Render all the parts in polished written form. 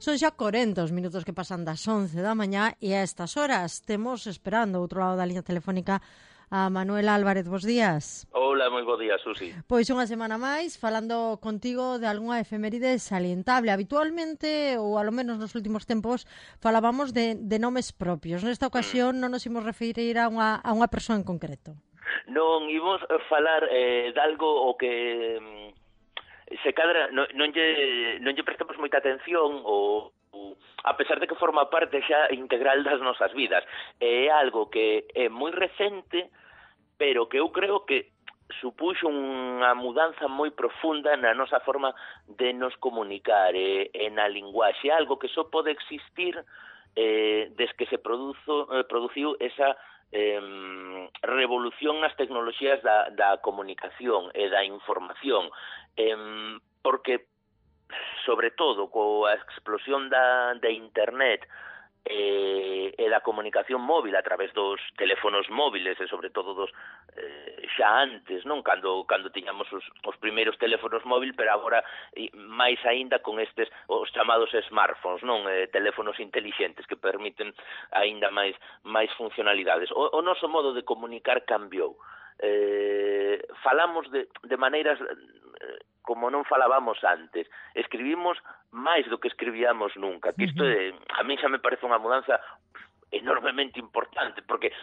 Son xa 40 os minutos que pasan das 11 da mañá e a estas horas temos esperando ao outro lado da liña telefónica a Manuela Álvarez. Bos días. Hola, moi bo día, Susi. Pois unha semana máis falando contigo de algunha efeméride salientable. Habitualmente, ou alo menos nos últimos tempos, falábamos de nomes propios. Nesta ocasión non nos imos referir a unha persoa en concreto. Non imos falar de algo o que se cadra, non lle prestamos moita atención ou a pesar de que forma parte xa integral das nosas vidas. É algo que é moi recente, pero que eu creo que supuxo unha mudanza moi profunda na nosa forma de nos comunicar e na linguaxe, algo que só pode existir desde que se produciu esa revolución nas tecnoloxías da comunicación e da información, porque sobre todo coa explosión da internet e da comunicación móvil a través dos teléfonos móviles e sobre todo dos xa antes, non, cando tiñamos os primeiros teléfonos móvil, pero agora máis aínda con estes os chamados smartphones, non, teléfonos intelixentes que permiten aínda máis funcionalidades. O noso modo de comunicar cambiou. Falamos de maneiras como non falábamos antes. Escribimos máis do que escribíamos nunca. Que isto a mí xa me parece unha mudanza enormemente importante, porque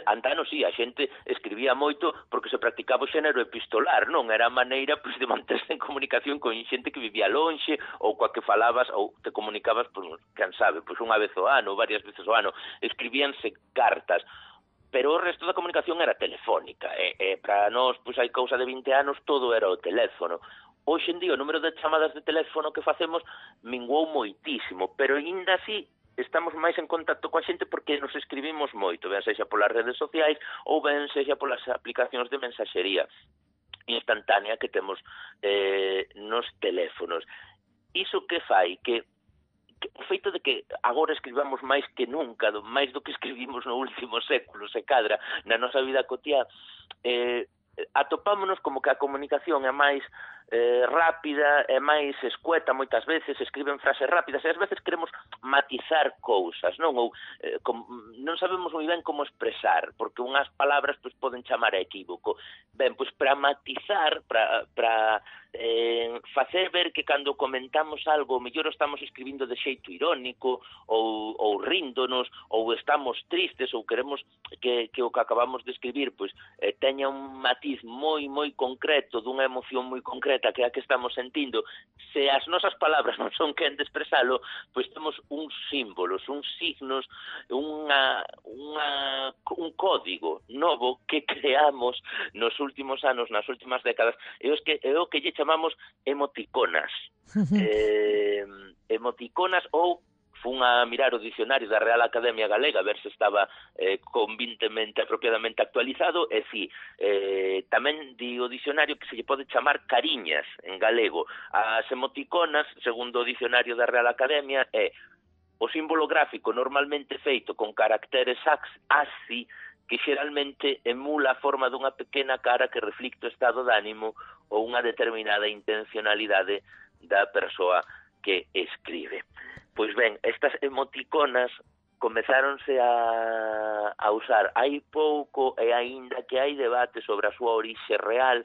antanos sí, a xente escribía moito porque se practicaba o xénero epistolar, non? Era a maneira de manterse en comunicación con xente que vivía lonxe, ou coa que falabas, ou te comunicabas, quen sabe, unha vez ao ano, varias veces ao ano. Escribíanse cartas, pero o resto da comunicación era telefónica, e para nós, hai cousa de 20 anos, todo era o teléfono. Hoxe en día o número de chamadas de teléfono que facemos minguou moitísimo, pero ainda así estamos máis en contacto coa xente porque nos escribimos moito, ben sexa polas redes sociais ou ben sexa polas aplicacións de mensaxería instantánea que temos nos teléfonos. Iso que fai que o feito de que agora escribamos máis que nunca, máis do que escribimos no último século, se cadra na nosa vida cotiá, atopámonos como que a comunicación é máis rápida, é máis escueta moitas veces, escriben frases rápidas e ás veces queremos matizar cousas, non? Ou non sabemos moi ben como expresar, porque unhas palabras poden chamar a equívoco. Ben, para matizar, para facer ver que cando comentamos algo, mellor estamos escribindo de xeito irónico, ou ríndonos, ou estamos tristes, ou queremos que o que acabamos de escribir teña un matiz moi concreto, dunha emoción moi concreta que é a que estamos sentindo. Se as nosas palabras non son quen de expresalo, temos uns símbolos, uns signos, un código novo que creamos nos últimos anos, nas últimas décadas, é o que lle chamamos emoticonas. Emoticonas, ou fun a mirar o dicionario da Real Academia Galega a ver se estaba convintemente, apropiadamente actualizado, e si, tamén di o dicionario que se lle pode chamar cariñas en galego. As emoticonas, segundo o dicionario da Real Academia, é o símbolo gráfico normalmente feito con caracteres ASCII que xeralmente emula a forma dunha pequena cara que reflicte o estado de ánimo ou unha determinada intencionalidade da persoa que escribe. Pois ben, estas emoticonas comezáronse a usar hai pouco, e aínda que hai debate sobre a súa orixe real,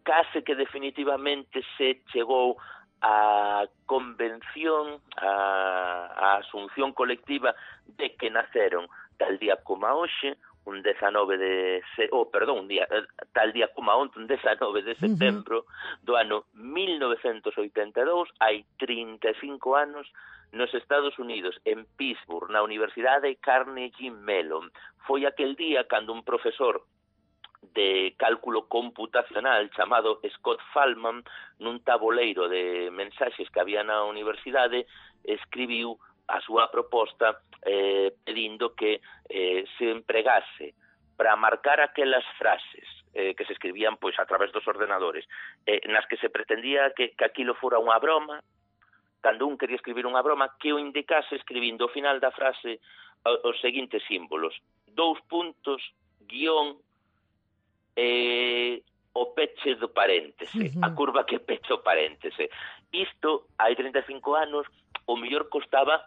case que definitivamente se chegou a convención, a asunción colectiva de que naceron tal día como hoxe, tal día como onte, un 19 de setembro do ano 1982, hai 35 anos, nos Estados Unidos, en Pittsburgh, na Universidade Carnegie Mellon. Foi aquel día cando un profesor de cálculo computacional chamado Scott Fahlman, nun taboleiro de mensaxes que había na universidade, escribiu a súa proposta pedindo que se empregase para marcar aquelas frases que se escribían a través dos ordenadores, nas que se pretendía que aquilo fora unha broma, cando un quería escribir unha broma, que o indicase escribindo ao final da frase os seguintes símbolos: 2 puntos, guión, o peche do paréntese, a curva que pecha o paréntese. Isto, hai 35 anos, o mellor costaba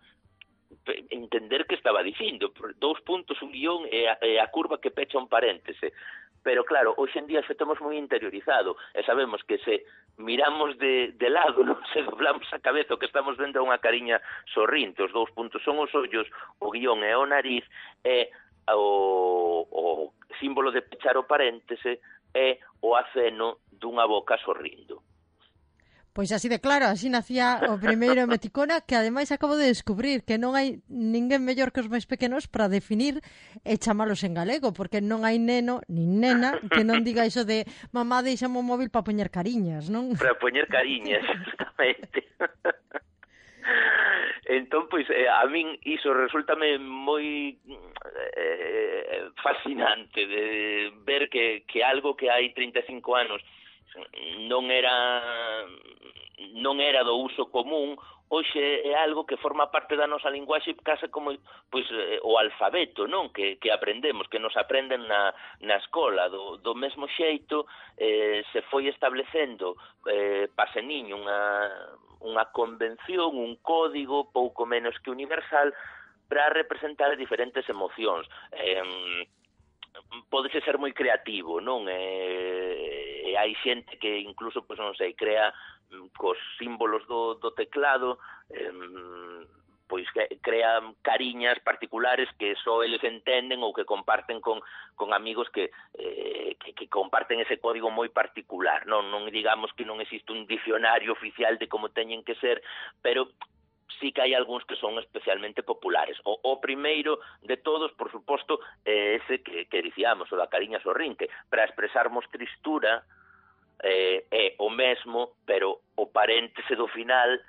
entender que estaba dicindo, 2 puntos, un guión e a curva que pecha un paréntese. Pero claro, hoxe en día xa temos moi interiorizado e sabemos que se miramos de lado, non se doblamos a cabeza, o que estamos vendo é unha cariña sorrinte, os 2 puntos son os ollos, o guión é o nariz, e o símbolo de pechar o paréntese é o aceno dunha boca sorrindo. Pois así de claro, así nacía o primeiro emoticona, que ademais acabo de descubrir que non hai ninguén mellor que os máis pequenos para definir e chamalos en galego, porque non hai neno nin nena que non diga iso de mamá deixame o móvil para poñer cariñas, non? Para poñer cariñas, justamente. Entón, pois, a min iso resultame moi fascinante de ver que algo que hai 35 anos non era do uso común, hoxe é algo que forma parte da nosa linguaxe case como pois o alfabeto, non? Que aprendemos, que nos aprenden na escola, do mesmo xeito se foi establecendo paseniño unha convención, un código pouco menos que universal para representar diferentes emocións. Pódese ser moi creativo, non? E hai xente que incluso, pois non sei, crea cos símbolos do teclado, pois crea cariñas particulares que só eles entenden ou que comparten con amigos que comparten ese código moi particular, non digamos que non existe un dicionario oficial de como teñen que ser, pero sí que hai algúns que son especialmente populares. O primeiro de todos, por suposto, é ese que dicíamos, o da cariña sorrinte, para expresarmos tristura, é o mesmo, pero o paréntese do final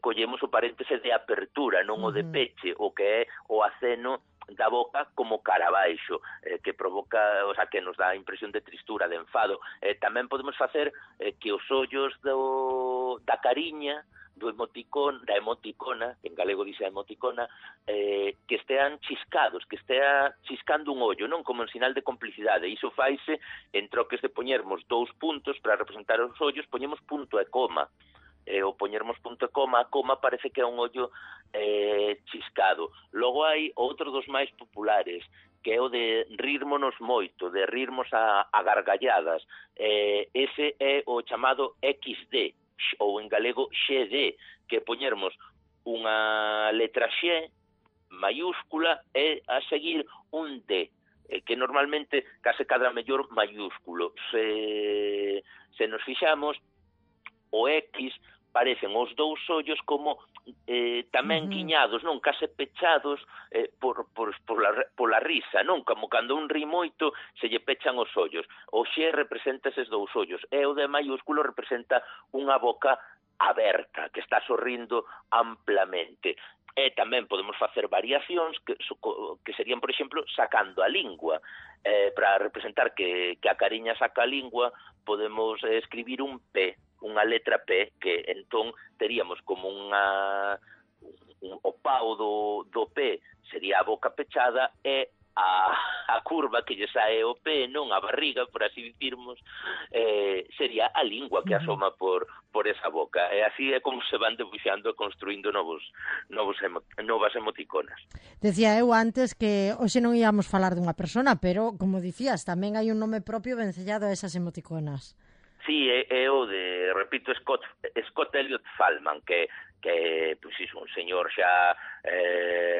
collemos o paréntese de apertura, non o de peche, o que é o aceno da boca como cara abaixo, que provoca, o sea, que nos dá a impresión de tristura, de enfado. Tamén podemos facer que os ollos da cariña, da emoticona, en galego dice emoticona, que estean chiscados, que estea chiscando un ollo, non? Como en sinal de complicidade. Iso faise en troques de poñermos 2 puntos para representar os ollos, poñemos punto e coma. O poñermos punto e coma, a coma parece que é un ollo chiscado. Logo hai outro dos máis populares, que é o de rirmonos moito, de rirmos a gargalladas. Ese é o chamado XD, ou en galego XD, que poñermos unha letra X mayúscula e a seguir un D, que normalmente case cadra mellor mayúsculo. Se nos fixamos, o X parecen os 2 ollos como tamén guiñados, non? Case pechados pola risa, non? Como cando un ri moito se lle pechan os ollos. O X representa eses 2 ollos e o D mayúsculo representa unha boca aberta, que está sorrindo amplamente. E tamén podemos facer variacións que serían, por exemplo, sacando a lingua. Para representar que a cariña saca a lingua, podemos escribir un P, unha letra P, que entón teríamos como o pau do P sería a boca pechada e a curva que lle sae o P, non a barriga, por así dicirmos, sería a lingua que asoma por esa boca. E así é como se van debuxando e construindo novas emoticonas. Decía eu antes que hoxe non íamos falar dunha persona, pero, como dicías, tamén hai un nome propio vencellado a esas emoticonas. Sí, é o de, repito, Scott Elliot Fallman, que pois iso, un señor xa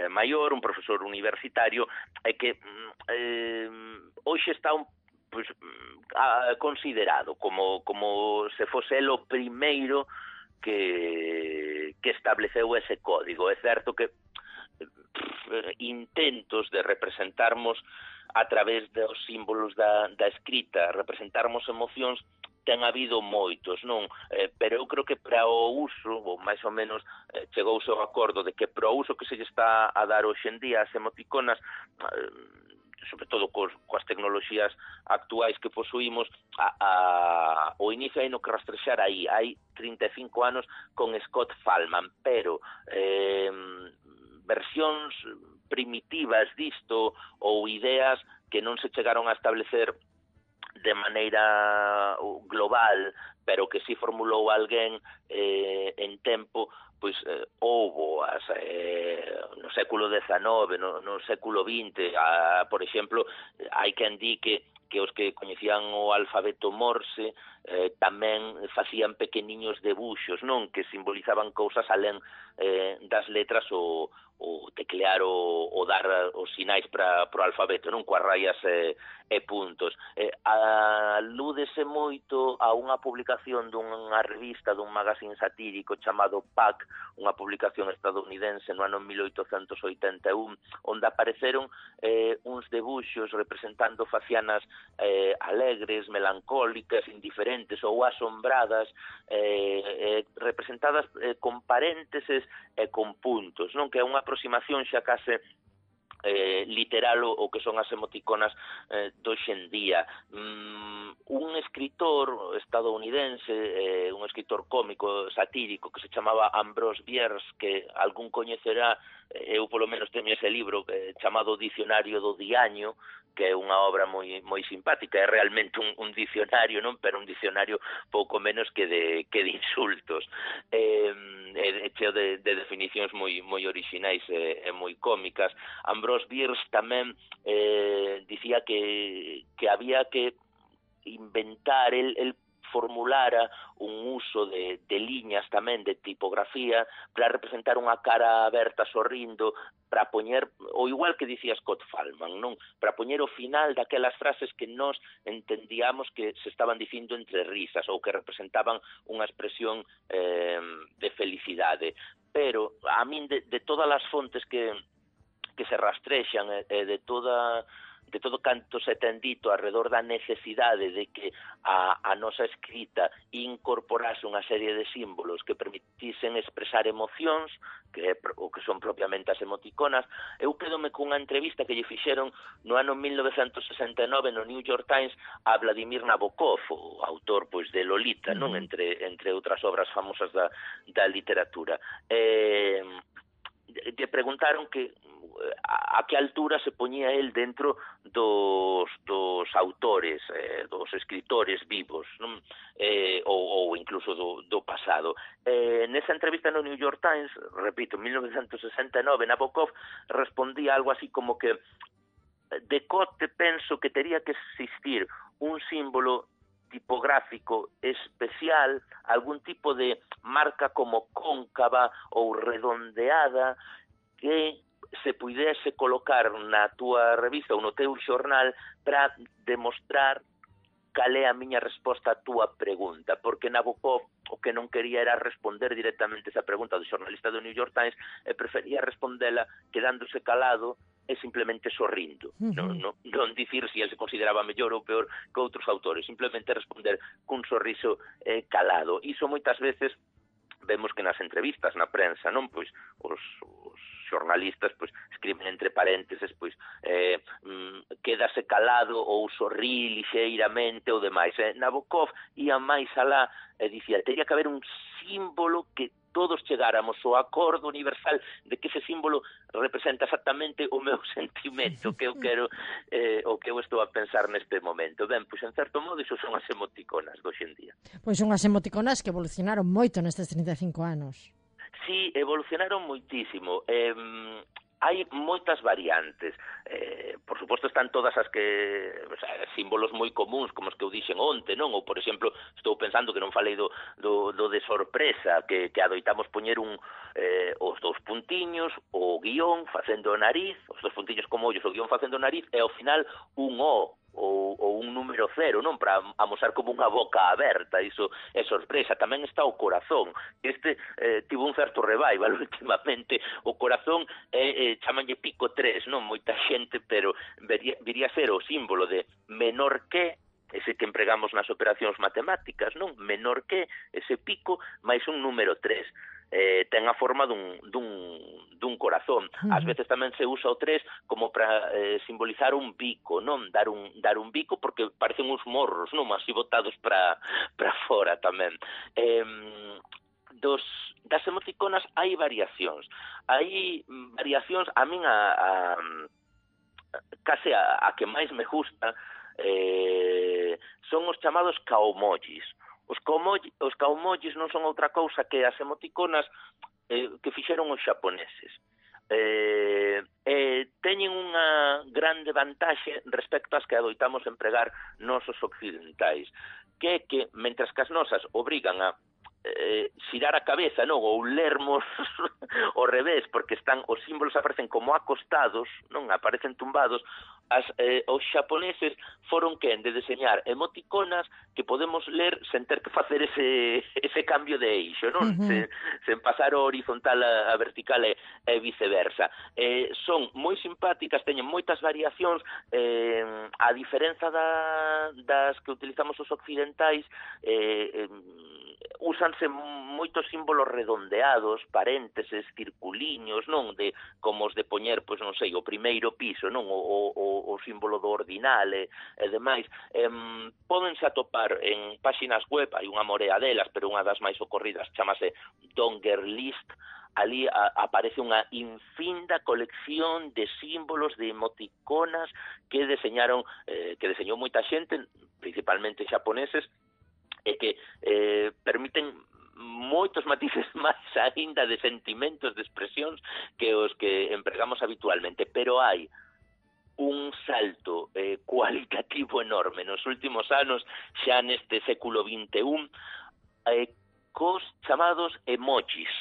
maior, un profesor universitario, e que hoxe está considerado como se fose el o primeiro que estableceu ese código. É certo que intentos de representarmos a través dos símbolos da escrita, representarmos emocións, ten habido moitos, non? Pero eu creo que para o uso, ou máis ou menos chegouse ao acordo de que para o uso que se lle está a dar hoxe en día as emoticonas, sobre todo coas tecnoloxías actuais que posuímos, o inicio hai no que rastrexar aí. Hai 35 anos con Scott Fallman, pero versións primitivas disto ou ideas que non se chegaron a establecer de maneira global, pero que si formulou alguén en tempo, pois houbo no século XIX, no século XX, por exemplo, hai quen di que os que coñecían o alfabeto Morse tamén facían pequeniños debuxos, non, que simbolizaban cousas alén das letras o teclear o dar os sinais para o alfabeto, non, coas raias e puntos. Alúdese moito a unha publicación dunha revista, dun magazín satírico chamado Pac, unha publicación estadounidense no ano 1881, onde apareceron uns debuxos representando facianas alegres, melancólicas, indiferentes ou asombradas, representadas con parénteses e con puntos, non, que é unha aproximación xa case literal o que son as emoticonas do hoxendía. Un escritor estadounidense, un escritor cómico, satírico, que se chamaba Ambrose Bierce, que algún coñecerá, eu polo menos teño ese libro chamado Dicionario do Diaño, que é unha obra moi simpática, é realmente un dicionario, non, pero un dicionario pouco menos que de insultos, cheo de definicións moi orixinais e moi cómicas. Ambrose Bierce tamén dicía que había que inventar, el formulara un uso de liñas tamén, de tipografía, para representar unha cara aberta sorrindo, para poñer, o igual que dicía Scott Fallman, non? Para poñer o final daquelas frases que nós entendíamos que se estaban dicindo entre risas ou que representaban unha expresión de felicidade. Pero a min de todas as fontes que se rastrexan de todo canto se ten dito alrededor da necesidade de que a nosa escrita incorporase unha serie de símbolos que permitisen expresar emocións, que é o que son propiamente as emoticonas. Eu quedome cunha entrevista que lle fixeron no ano 1969 no New York Times a Vladimir Nabokov, o autor pois de Lolita, non, entre outras obras famosas da literatura. Lle preguntaron que a que altura se poñía el dentro dos autores, dos escritores vivos, non? Ou incluso do pasado. Nesa entrevista no New York Times, repito, en 1969, Nabokov respondía algo así como que de cote penso que tería que existir un símbolo tipográfico especial, algún tipo de marca como cóncava ou redondeada que se puidese colocar na túa revista ou no teu xornal para demostrar cal é a miña resposta á túa pregunta, porque Nabokov o que non quería era responder directamente esa pregunta do xornalista do New York Times e prefería respondela quedándose calado e simplemente sorrindo, non dicir se ele se consideraba mellor ou peor que outros autores, simplemente responder cun sorriso calado. Iso moitas veces vemos que nas entrevistas, na prensa, non, pois os xornalistas pois escriben entre parénteses pois quédase calado ou sorrí lixeiramente ou demais. Nabokov ia máis alá e dicía, teria que haber un símbolo que todos chegáramos ao acordo universal de que ese símbolo representa exactamente o meu sentimento que eu quero, o que eu estou a pensar neste momento. Ben, pois en certo modo iso son as emoticonas do hoxendía. Pois son as emoticonas que evolucionaron moito nestes 35 anos. Sí, evolucionaron moitísimo. Hai moitas variantes. Por suposto están todas as que símbolos moi comuns, como os que eu dixen onte, non? Ou, por exemplo, estou pensando que non falei do de sorpresa, que adoitamos poñer os dous puntiños, o guión facendo o nariz, os dous puntiños como ollos, o guión facendo o nariz, e ao final un O, ou un número 0, non, para amosar como unha boca aberta. Iso é sorpresa. Tamén está o corazón. Tivo un certo revival últimamente. O corazón chamanlle pico 3, non, moita xente, pero viría a ser o símbolo de menor que, ese que empregamos nas operacións matemáticas, non, menor que, ese pico, máis un número 3. Ten a forma dun corazón. Ás veces tamén se usa o 3 como para simbolizar un bico, non? Dar un bico porque parecen uns morros, non? Así botados para fora tamén. Das emoticonas hai variacións. Hai variacións, a min case a que máis me gusta son os chamados kaomojis. Os kaomojis non son outra cousa que as emoticonas que fixeron os xaponeses. Teñen unha grande vantaxe respecto ás que adoitamos empregar nosos occidentais, que é que, mentras que as nosas obrigan a xirar a cabeza, non, ou lermos ao revés, porque os símbolos aparecen como acostados, non, aparecen tumbados, os xaponeses foron quen de deseñar emoticonas que podemos ler sen ter que facer ese cambio de eixo, non? Sen pasar o horizontal a vertical e viceversa. Son moi simpáticas, teñen moitas variacións, a diferenza das que utilizamos os occidentais, úsanse moitos símbolos redondeados, parénteses, circuliños, non, como os de poñer, pois non sei, o primeiro piso, non, o símbolo do ordinal e demais. Pódense atopar en páxinas web, hai unha morea delas, pero unha das máis ocorridas chamase Dongerlist. Ali aparece unha infinda colección de símbolos, de emoticonas que deseñou moita xente, principalmente xaponeses, e que permiten moitos matices máis aínda de sentimentos, de expresións que os que empregamos habitualmente, pero hai un salto cualitativo enorme nos últimos anos, xa neste século XXI, cos chamados emojis,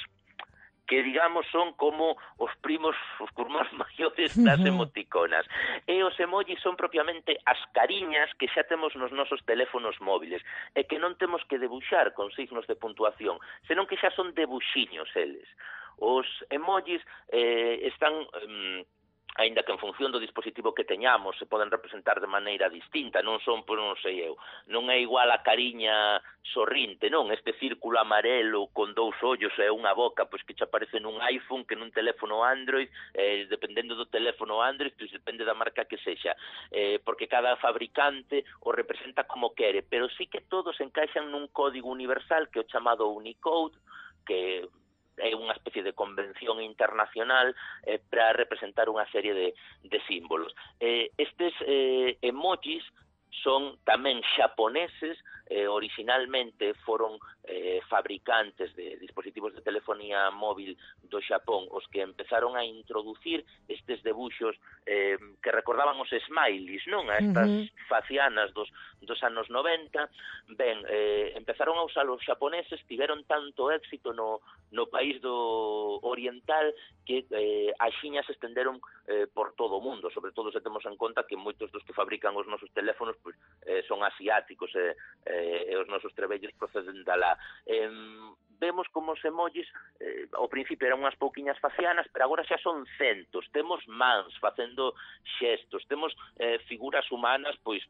que, digamos, son como os curmás maiores das emoticonas. E os emojis son propiamente as cariñas que xa temos nos nosos teléfonos móviles, e que non temos que debuxar con signos de puntuación, senón que xa son debuxiños eles. Os emojis están... aínda que en función do dispositivo que teñamos se poden representar de maneira distinta, non son, pois non sei eu, non é igual a cariña sorrinte, non, este círculo amarelo con dous ollos e unha boca, pois que che aparece nun iPhone que nun teléfono Android, dependendo do teléfono Android, pois depende da marca que sexa, porque cada fabricante o representa como quere, pero sí que todos encaixan nun código universal que é o chamado Unicode, que é unha especie de convención internacional para representar unha serie de símbolos. Estes emojis son tamén xaponeses, originalmente foron fabricantes de dispositivos de telefonía móvil do Xapón os que empezaron a introducir estes debuxos que recordaban os smileys, non? A estas facianas dos anos 90. Ben, empezaron a usar os xaponeses, tiveron tanto éxito no país do oriental que axiña se estenderon por todo o mundo, sobre todo se temos en conta que moitos dos que fabrican os nosos teléfonos pues, son asiáticos e os nosos trebellos proceden dalá. Vemos como os emojis ao principio eran unhas pouquiñas facianas, pero agora xa son centos. Temos mans facendo xestos, temos figuras humanas, pois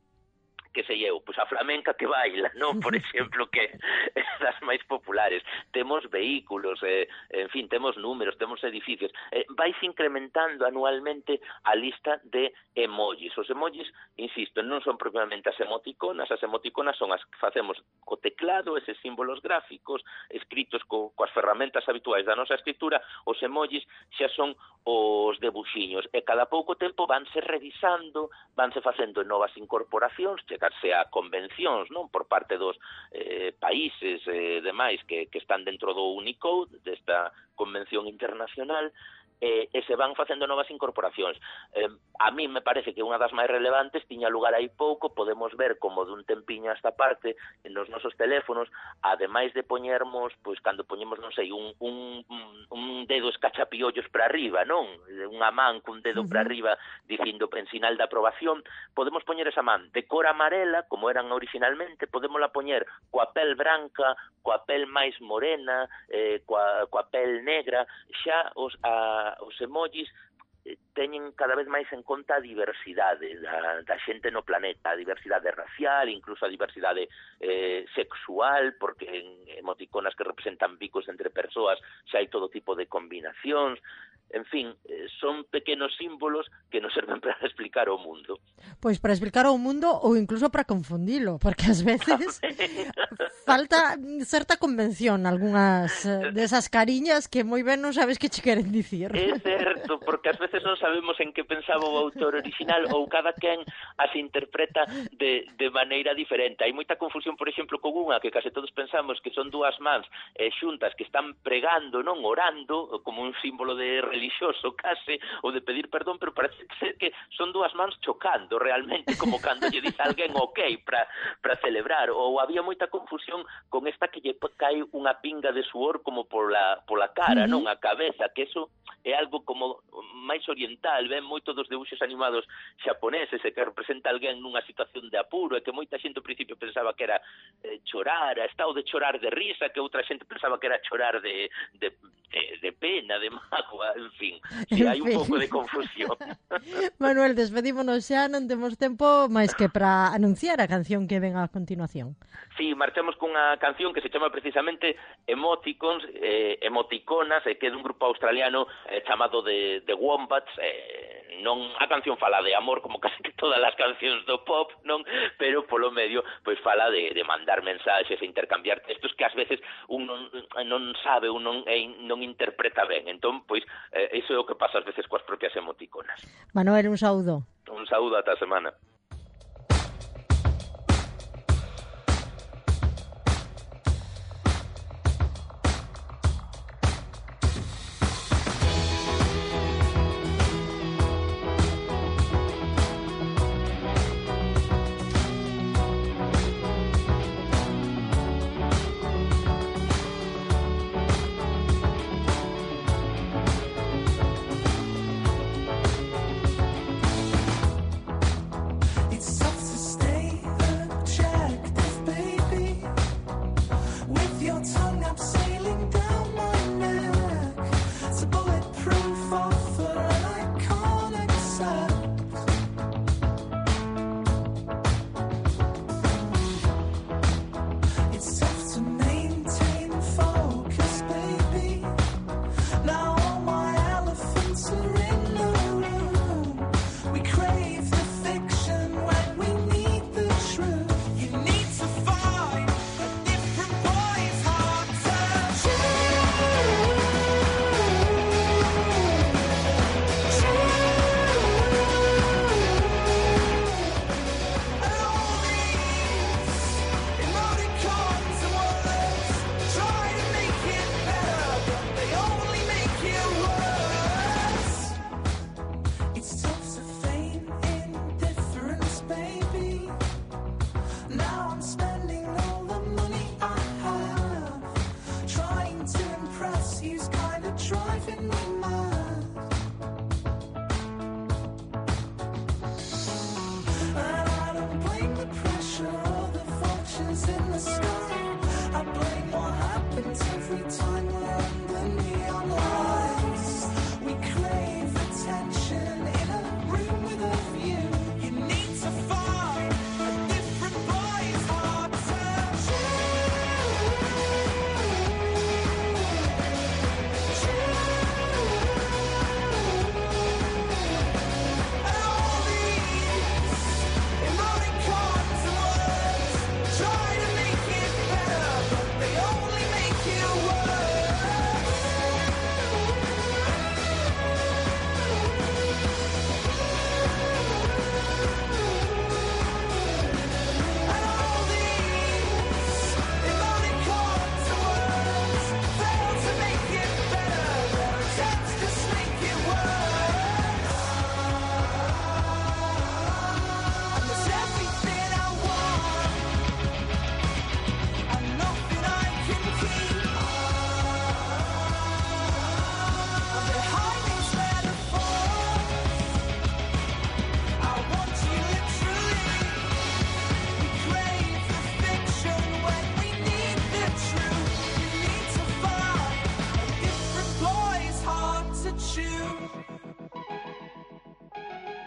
que sei eu, pois a flamenca que baila, non? Por exemplo, que é das máis populares. Temos vehículos, en fin, temos números, temos edificios. Vais incrementando anualmente a lista de emojis. Os emojis, insisto, non son propiamente as emoticonas son as que facemos co teclado, eses símbolos gráficos, escritos coas ferramentas habituais da nosa escritura. Os emojis xa son os debuxiños, e cada pouco tempo vanse revisando, vanse facendo novas incorporacións, chegarse a convencións, non, por parte dos países demais que están dentro do Unicode, desta convención internacional, e se van facendo novas incorporacións. A mí me parece que unha das máis relevantes tiña lugar aí pouco. Podemos ver como dun tempiño a esta parte nos nosos teléfonos, ademais de poñermos, pois cando poñemos, non sei, un dedo escachapiollos para arriba, non? Unha man cun dedo para arriba dicindo en sinal de aprobación, podemos poñer esa man de cor amarela, como eran originalmente, podémola poñer coa pel branca, coa pel máis morena, coa pel negra. Xa os emojis teñen cada vez máis en conta a diversidade da xente no planeta, a diversidade racial, incluso a diversidade sexual, porque en emoticonas que representan bicos entre persoas xa hai todo tipo de combinacións. en fin, son pequenos símbolos que nos serven para explicar o mundo. Pois para explicar o mundo ou incluso para confundilo, porque ás veces falta certa convención algunhas desas cariñas que moi ben non sabes que che queren dicir. É certo, porque ás veces non sabemos en que pensaba o autor original ou cada quen as interpreta de maneira diferente. Hai moita confusión, por exemplo, con unha que case todos pensamos que son dúas mans xuntas que están pregando, non orando, como un símbolo de relixioso case, ou de pedir perdón, pero parece ser que son dúas mans chocando realmente, como cando lle dice alguén ok para celebrar. Ou había moita confusión con esta que lle cae unha pinga de suor como pola cara, non a cabeza, que eso é algo como máis oriental, ven moito dos debuxos animados xaponeses e que representa alguén nunha situación de apuro e que moita xente ao principio pensaba que era chorar, estado de chorar de risa, que outra xente pensaba que era chorar de pena, de mágoa, en fin, hai un pouco de confusión. Manuel, despedímonos xa, non temos tempo máis que para anunciar a canción que ven a continuación. Sí, marchamos cunha canción que se chama precisamente Emoticonas, que é dun grupo australiano chamado The Wombats. Non a canción fala de amor como casi que todas as cancións do pop, non, pero polo medio pois fala de mandar mensaxes e intercambiar textos que ás veces un non sabe, un non interpreta ben. Entón, pois iso é o que pasa ás veces coas propias emoticonas. Manuel, un saúdo. Un saúdo ata a semana.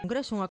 Congreso, unha